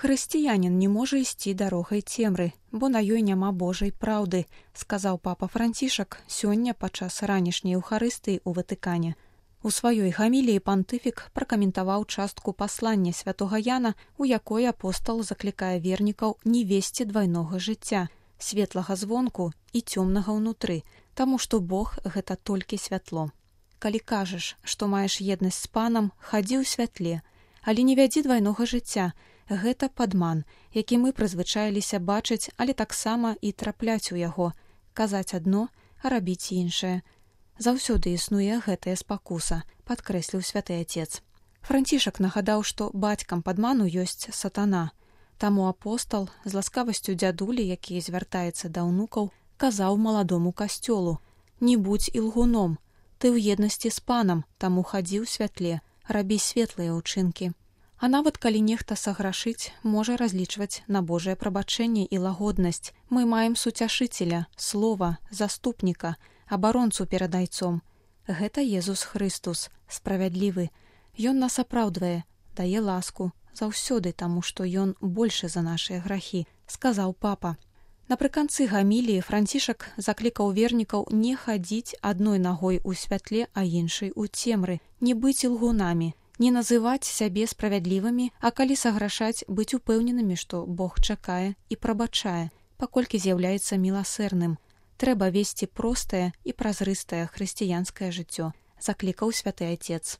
Хрысціянін не можа ісці дарогай цемры, бо на ёй няма Божай праўды, сказаў папа Францішак сёння падчас ранішняй Еўхарыстыі ў Ватыкане. У сваёй гаміліі пантыфік пракаментаваў частку паслання святога Яна, у якой апостал заклікае вернікаў не весці двайнога жыцця, светлага звонку і цёмнага ўнутры, таму што Бог гэта толькі святло. Калі кажаш, што маеш еднасць з панам, хадзі ў святле, але не вядзі двайнога жыцця. Гэта падман, які мы прызвычаіліся бачыць, але таксама і трапляць у яго, казаць адно, а рабіць іншае. Заўсёды існуе гэтая спакуса, падкрэсліў святы Атец. Францішак нагадаў, што бацькам падману ёсць сатана. Таму апостал з ласкавасцю дзядулі, які звяртаецца да ўнукаў, казаў маладому касцёлу: «Не будзь ілгуном, ты ў еднасці з панам, таму хадзі ў святле, рабі светлыя ўчынкі». А нават калі нехта саграшыць, можа разлічваць на Божае прабачэнне і лагоднасць. Мы маем суцяшыцеля, слова, заступніка, абаронцу перад айцом. Гэта Езус Хрыстус, справядлівы. Ён нас апраўдвае, дае ласку, заўсёды, таму што ён большы за нашыя грахі, сказаў папа. Напрыканцы гаміліі Францішак заклікаў вернікаў не хадзіць адной нагой у святле, а іншай у цемры, не быць ілгунамі, не называць сябе справядлівымі, а калі саграшаць, быць упэўненымі, што Бог чакае і прабачае, паколькі з'яўляецца міласэрным. Трэба весці простае і празрыстае хрысціянскае жыццё, заклікаў святы Атец.